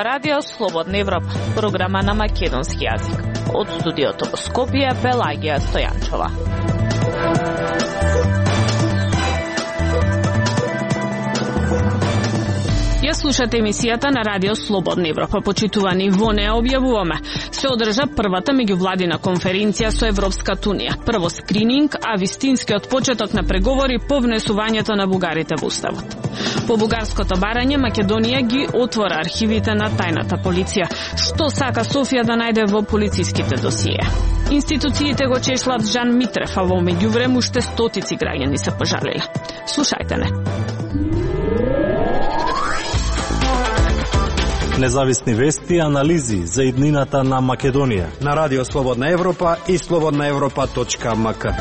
ова радио Слободна Европа, програма на македонски јазик. Од студиото во Скопје, Пелагија Стојанчова. Ја слушате емисијата на радио Слободна Европа. Почитувани, во неа објавуваме. Се одржа првата меѓувладина конференција со Европската унија. Прво скрининг, а вистинскиот почеток на преговори по внесувањето на бугарите во уставот. По бугарското барање, Македонија ги отвора архивите на тајната полиција. Што сака Софија да најде во полициските досиеа? Институциите го чешлат Жан Митрев, а во меѓувреме уште стотици граѓани се пожалиле. Слушајте не. Независни вести и анализи за иднината на Македонија на радио Слободна Европа и slobodnaevropa.mk.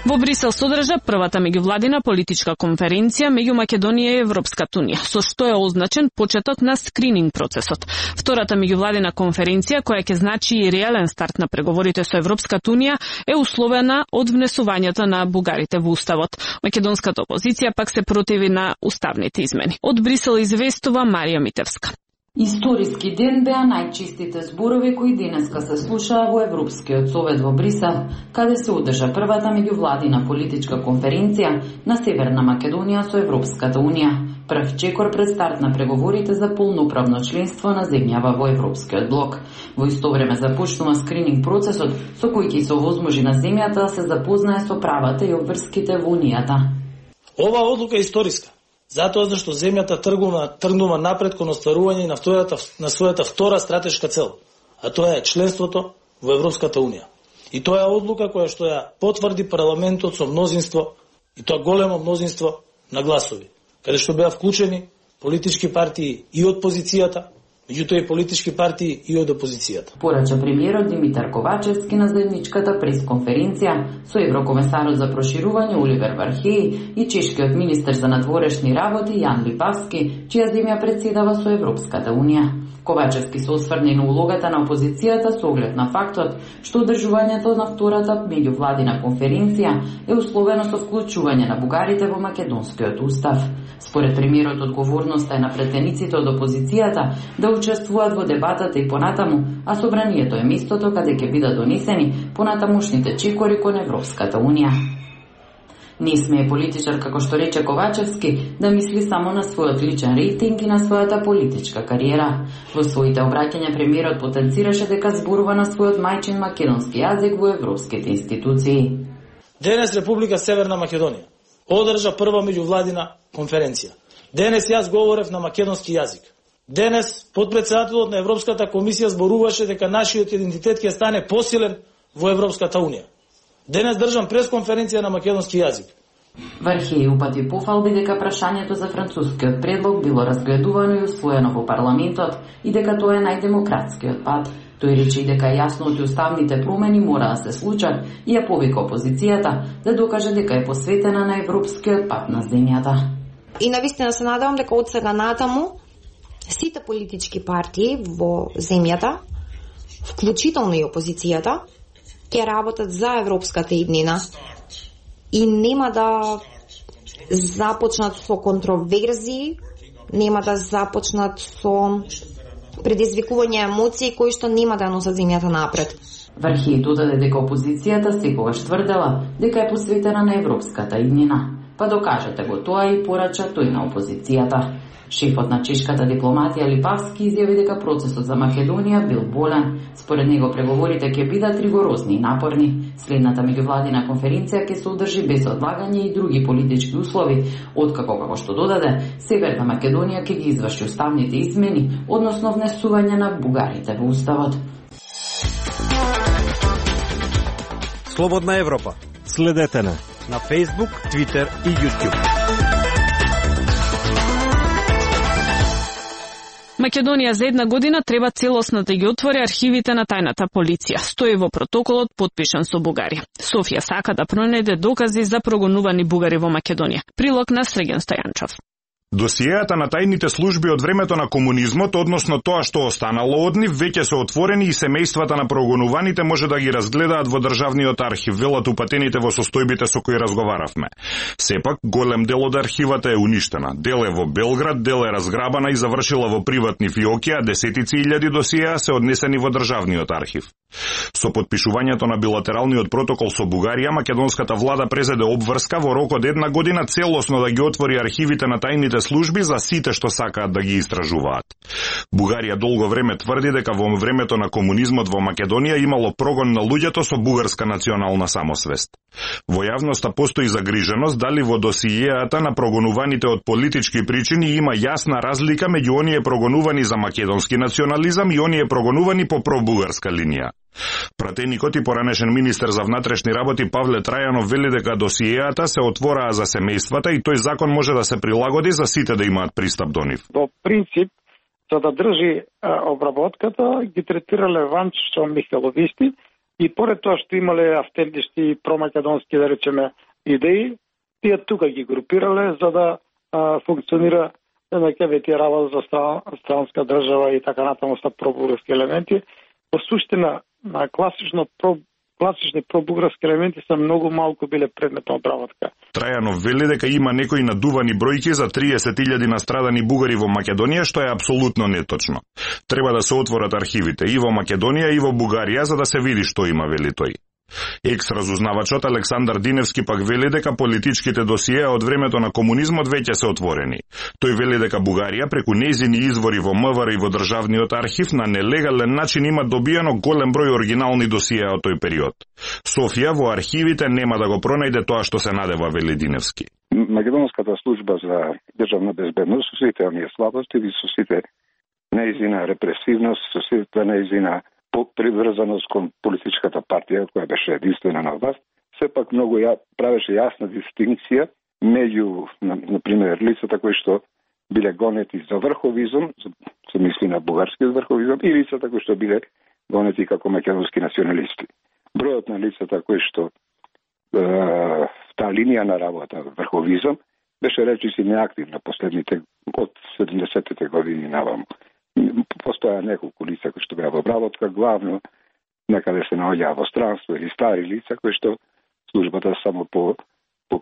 Во Брисел се одржа првата меѓувладина политичка конференција меѓу Македонија и Европската унија, со што е означен почеток на скрининг процесот. Втората меѓувладина конференција, која ќе значи и реален старт на преговорите со Европската унија, е условена од внесувањето на бугарите во уставот. Македонската опозиција пак се противи на уставните измени. Од Брисел известува Марија Митевска. Историски ден беа најчистите зборови кои денеска се слушаа во Европскиот совет во Брисел, каде се одржа првата меѓувладина политичка конференција на Северна Македонија со Европската унија. Прв чекор пред старт на преговорите за полноправно членство на земјава во Европскиот блок. Во исто време започнува скрининг процесот со кој ќе се овозможи на земјата да се запознае со правата и обврските во унијата. Ова одлука е историска, затоа зашто земјата тргнува напред кон остварување на својата втора стратешка цел, а тоа е членството во Европската унија. И тоа е одлука која што ја потврди парламентот со мнозинство, и тоа големо мнозинство на гласови, каде што беа вклучени политички партии и од позицијата, меѓутоа и политички партии и од опозицијата. Порача премиерот Димитар Ковачевски на заедничката пресконференција со еврокомесарот за проширување Оливер Вархеј и чешкиот министер за надворешни работи Јан Липавски, чија земја претседава со Европската унија. Ковачевски се осврне на улогата на опозицијата со оглед на фактот што одржувањето на втората меѓувладина конференција е условено со вклучување на бугарите во македонскиот устав. Според премиерот, одговорноста е на претениците од опозицијата да учествуваат во дебатата и понатаму, а собранието е местото каде ќе бидат донесени понатамушните чекори кон Европската унија. Не смее политичар, како што рече Ковачевски, да мисли само на својот личен рейтинг и на својата политичка кариера. Во своите обраќања премиерот потенцираше дека зборува на својот мајчин македонски јазик во европските институции. Денес Република Северна Македонија одржа прва меѓувладина конференција. Денес јас говорев на македонски јазик. Денес подпредседателот на Европската комисија зборуваше дека нашиот идентитет ќе стане посилен во Европската унија. Денес држам пресконференција на македонски јазик. Вархеј упати пофалби дека прашањето за францускиот предлог било разгледувано и усвоено во парламентот и дека тоа е најдемократскиот пат. Тој рече и дека јасно уставните промени мора да се случат и ја повика опозицијата да докаже дека е посветена на европскиот пат на земјата. И навистина се надевам дека од сега натаму сите политички партии во земјата, вклучително и опозицијата, ќе работат за европската иднина и нема да започнат со контроверзии, нема да започнат со предизвикување емоции кои што нема да носат земјата напред. Вархеј додаде дека опозицијата секогаш тврдела дека е посветена на европската иднина. Па докажете го тоа и порача тој на опозицијата. Шефот на чешката дипломатија Липавски изјави дека процесот за Македонија бил болен. Според него преговорите ќе бидат ригорозни и напорни. Следната меѓувладина конференција ќе се одржи без одлагање и други политички услови, откако, како што додаде, Северна Македонија ќе ги изврши уставните измени, односно внесување на бугарите во уставот. Слободна Европа. Следете на Facebook, Twitter и YouTube. Македонија за една година треба целосно да ги отвори архивите на тајната полиција. Стои во протоколот потпишан со Бугарија. Софија сака да пронајде докази за прогонувани бугари во Македонија. Прилог на Среген Стојанчов. Досиеата на тајните служби од времето на комунизмот, односно тоа што останало од нив, веќе се отворени и семејствата на прогонуваните може да ги разгледаат во државниот архив, велат упатените во состојбите со кои разговаравме. Сепак, голем дел од архивата е уништена. Дел е во Белград, дел е разграбана и завршила во приватни фиоки, а десетици илјади досиеа се однесени во државниот архив. Со подпишувањето на билатералниот протокол со Бугарија, македонската влада презеде обврска во рок од 1 година целосно да ги отвори архивите на тајните служби за сите што сакаат да ги истражуваат. Бугарија долго време тврди дека во времето на комунизмот во Македонија имало прогон на луѓето со бугарска национална самосвест. Во јавноста постои загриженост дали во досиеата на прогонуваните од политички причини има јасна разлика меѓу оние прогонувани за македонски национализам и оние прогонувани по пробугарска линија. Пратеникот и поранешен министер за внатрешни работи Павле Трајанов вели дека досиеата се отвораа за семејствата и тој закон може да се прилагоди за сите да имаат пристап до нив. Во принцип, за да држи обработката, ги третирале ванчо михеловисти и поред тоа што имале автентични промакедонски, да речеме, идеи, тие тука ги групирале за да функционира тие работа за странска држава и така натаму со пробугарски елементи. Во суштина, на класични пробугарски елементи се многу малку биле предмет на обработка. Трајанов вели дека има некои надувани бројки за 30.000 настрадани бугари во Македонија, што е апсолутно неточно. Треба да се отворат архивите и во Македонија и во Бугарија за да се види што има, вели тој. Екс-разузнавачот Александар Диневски пак вели дека политичките досиеа од времето на комунизмот веќе се отворени. Тој вели дека Бугарија преку нејзини извори во МВР и во државниот архив на нелегален начин има добиено голем број оригинални досиеа од тој период. Софија во архивите нема да го пронајде тоа што се надева, вели Диневски. Македонската служба за државна безбедност, со сите оние слабости и со сите нејзина репресивност, со сите нејзина приврзаност кон политичката партија, која беше единствена на власт, сепак многу правеше јасна дистинкција меѓу, например, лицата кои што биле гонети за врховизм, се мисли на бугарскиот врховизм, и лицата кои што биле гонети како македонски националисти. Бројот на лицата кои што таа линија на работа, врховизм, беше речиси неактивна последните од 70-те години наваму. Постоја неколку лица кои што беа во обработка, главно некаде се наоѓаа во странство или стари лица кои што службата само по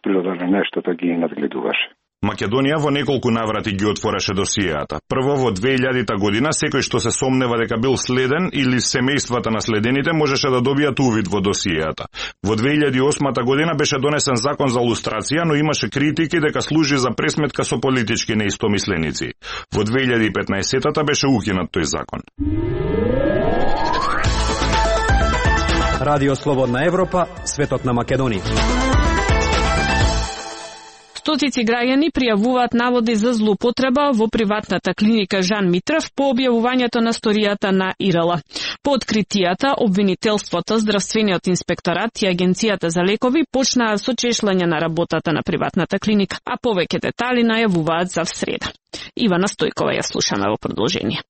природа на нештото ги надгледуваше. Македонија во неколку наврати ги отвореше досиеата. Прво во 2000 година секој што се сомнева дека бил следен или семејствата на следените можеше да добијат увид во досиеата. Во 2008 година беше донесен закон за лустрација, но имаше критики дека служи за пресметка со политички неистомисленици. Во 2015-та беше укинат тој закон. Радио Слободна Европа, светот на Македонија. Стотици граѓани пријавуваат наводи за злоупотреба во приватната клиника Жан Митрев по објавувањето на сторијата на ИРЛ. По откритијата, обвинителството, Здравствениот инспекторат и Агенцијата за лекови почнаа со чешлање на работата на приватната клиника, а повеќе детали најавуваат за среда. Ивана Стојкова ја слушаме во продолжение.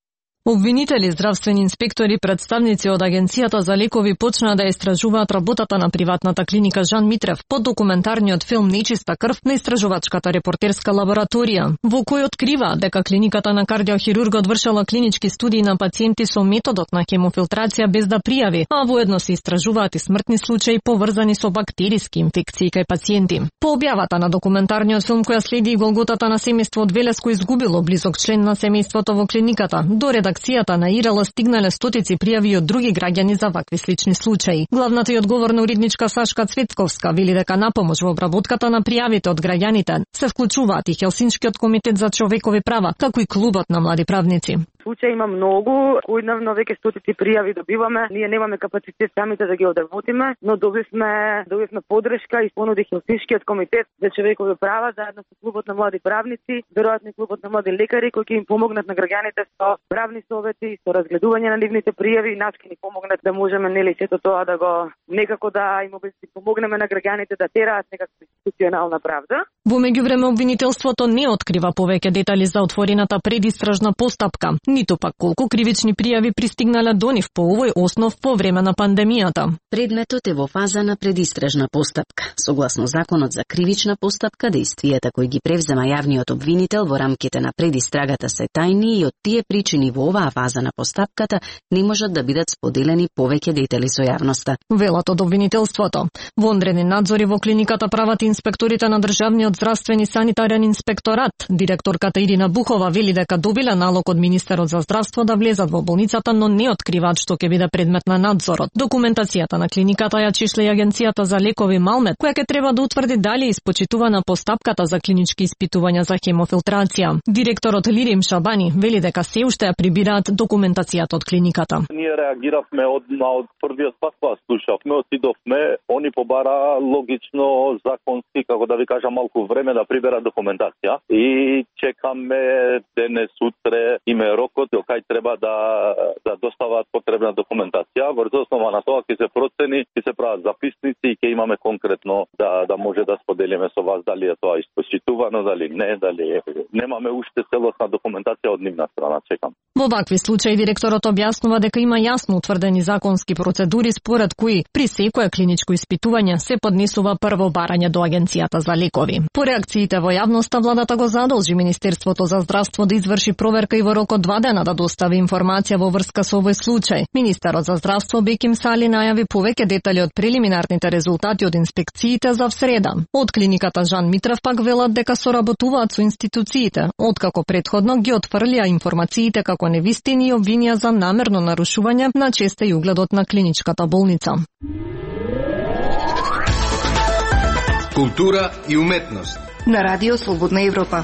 Обвинители, здравствени инспектори, представници од Агенцијата за лекови почнаа да истражуваат работата на приватната клиника Жан Митрев под документарниот филм Нечиста крв на истражувачката репортерска лабораторија, во кој открива дека клиниката на кардиохирургот вршела клинички студии на пациенти со методот на хемофилтрација без да пријави, а воедно се истражуваат и смртни случаи поврзани со бактериски инфекции кај пациенти. По објавата на документарниот филм која следи и голготата на семејство од Велеско изгубило близок член на семејството во клиниката, до редакцијата на ИРЛ стигнале стотици пријави од други граѓани за вакви слични случаи. Главната и одговорна уредничка Сашка Цветковска вели дека на помош во обработката на пријавите од граѓаните се вклучуваат и Хелсиншкиот комитет за човекови права, како и клубот на млади правници. Случаи има многу, којдневно веќе стотици пријави добиваме. Ние немаме капацитет самите да ги одработиме, но добивме подршка и понуди Хелсиншкиот комитет за човекови права заедно со клубот на млади правници, веројатно и клубот на млади лекари кои ќе им помогнат на граѓаните со правни совети, со разгледување на нивните пријави, нас ќе ни помогнат да можеме сето тоа да го некако да им помогнеме на граѓаните да тераат некаква институционална правда. Во меѓувреме обвинителството не открива повеќе детали за отворената предистражна постапка, ниту пак колку кривични пријави пристигнале до нив по овој основ по време на пандемијата. Предметот е во фаза на предистражна постапка. Согласно законот за кривична постапка, действијата кои ги превзема јавниот обвинител во рамките на предистрагата се тајни и од тие причини во оваа фаза на постапката не можат да бидат споделени повеќе детали со јавноста. Велат од обвинителството. Вонредни надзори во клиниката прават инспекторите на Државниот здравствен и санитарен инспекторат. Директорката Ирина Бухова вели дека добиле налог од министерот за здравство да влезат во болницата, но не откриваат што ќе биде предмет на надзорот. Документацијата на клиниката ја чишле и Агенцијата за лекови Малмет, која ќе треба да утврди дали е испочитувана постапката за клинички испитувања за хемофилтрација. Директорот Лирим Шабани вели дека се уште ја прибираат документацијата од клиниката. Ние реагиравме од првиот пат кога слушавме, отидовме, они побара логично, законски, како да ви кажам, малку време да прибера документација и чекаме денес, утре, име рокот до кај треба да достават потребна документација. Врз основа на тоа ќе се процени, ќе се прават записници и ќе имаме конкретно да може да споделиме со вас дали е тоа испочитувано, дали не, дали немаме уште целосна документација од нивна страна, чекам. Во вакви случаи директорот објаснува дека има јасно утврдени законски процедури според кои при секое клиничко испитување се поднесува прво барање до Агенцијата за лекови. По реакциите во јавноста, владата го задолжи Министерството за здравство да изврши проверка и во рок од 2 дена да достави информација во врска со овој случај. Министерот за здравство Беким Сали најави повеќе детали од прелиминарните резултати од инспекциите за среда. Од клиниката Жан Митрев пак велат дека соработуваат со институциите, откако претходно ги отфрлија информациите како невистини и обвинија за намерно нарушување на честа и угледот на клиничката болница. Култура и уметност на Радио Слободна Европа.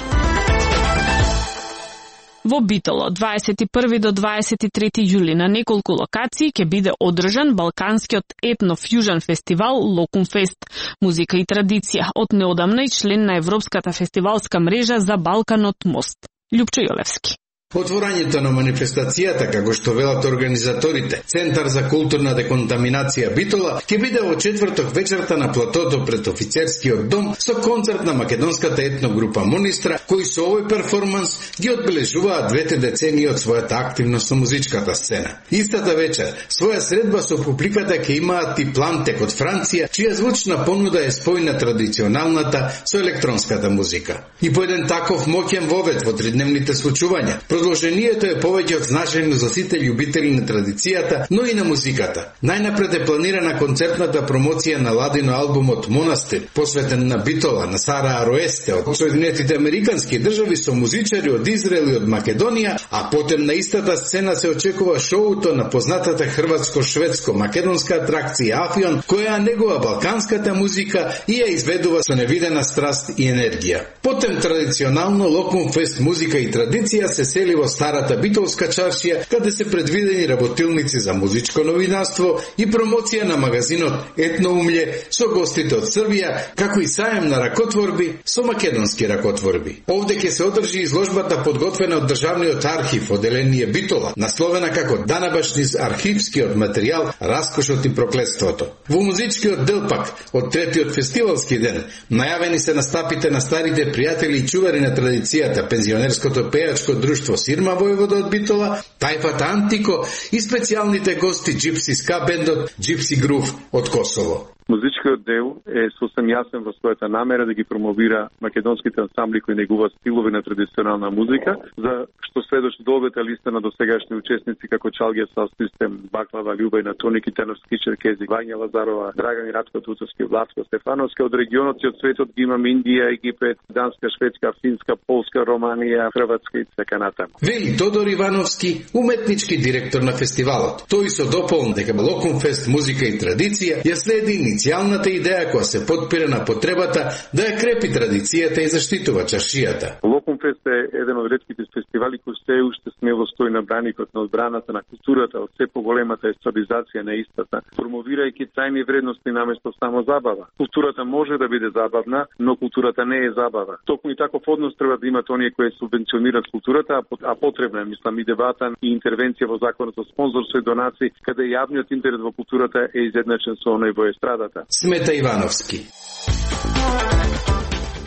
Во Битоло, 21 до 23 јули на неколку локации ќе биде одржан Балканскиот етно-фјужен фестивал Локумфест, музика и традиција, од неодамна и член на Европската фестивалска мрежа за Балканот Мост. Љупчо Јолевски. Отворањето на манифестацијата, како што велат организаторите, Центар за културна деконтаминација Битола, ќе биде во четврток вечерта на платото пред офицерскиот дом со концерт на македонската етногрупа Монистра, кои со овој перформанс ги одбележуваат 2 децении од својата активност со музичката сцена. Истата вечер, своја средба со публиката ќе имаат и Плантек од Франција, чија звучна понуда е спојна традиционалната со електронската музика. И по еден таков моќен вовед во тридневните случувања, продолжението е повеќе од значајно за сите љубители на традицијата, но и на музиката. Најнапред е планирана концертната промоција на Ладино албумот Монастир, посветен на Битола, на Сара Ароесте од Соединетите Американски држави со музичари од Израел и од Македонија, а потем на истата сцена се очекува шоуто на познатата хрватско-шведско-македонска атракција Афион, која негува балканската музика и ја изведува со невидена страст и енергија. Потем традиционално Локумфест музика и традиција се сели во старата битолска чаршија, каде се предвидени работилници за музичко новинарство и промоција на магазинот Етноумље со гостите од Србија, како и саем на ракотворби со македонски ракотворби. Овде ќе се одржи изложбата подготвена од Државниот архив, одделение Битола, насловена како Данабашни архивскиот материјал, раскошот и проклетството. Во музичкиот дел пак, од третиот фестивалски ден, најавени се настапите на старите пријатели и чувари на традицијата, пензионерското пејачко друштво Сирма војвода од Битола, Тајфата Антико и специјалните гости Джипси ска бендот Джипси Грув од Косово. Музичкиот дел е сосем јасен во својата намера да ги промовира македонските ансамбли кои негуваат стилови на традиционална музика, за што сведочи долгата листа на досегашни учесници како Чалгија Саунд Систем, Баклава, Љубајна, Тоники, Терновски, Черкези, Вања Лазарова, Драган и Радко Туцовски, Влатко Стефановски, од регионот и од светот ги имаме Индија, Египет, Данска, Шведска, Финска, Полска, Романија, Хрватска и така натаму. Вели Тодор Ивановски, уметнички директор на фестивалот. Тој со дополн дека Локумфест музика и традиција ја следи иницијалната идеја која се потпира на потребата да ја крепи традицијата и заштитува чаршијата. Локумфест е еден од ретките фестивали кои се уште смело стои на браникот на одбраната на културата од се поголемата естрадизација на истата, промовирајќи трајни вредности наместо само забава. Културата може да биде забавна, но културата не е забава. Токму и таков однос треба да имат оние кои субвенционираат културата, а потребна е, мислам, и дебата и интервенција во законот за спонзорство и донации, каде јавниот интерес во културата е изедначен со оној во естрадата. Смета Ивановски.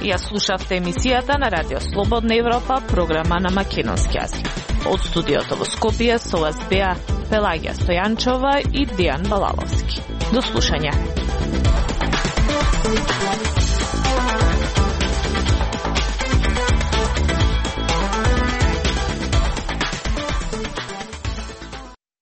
Ја слушавте емисијата на Радио Слободна Европа, програма на македонски јазик. Од студиото во Скопје со вас беа Пелагија Стојанчова и Дијан Балаловски. До слушање.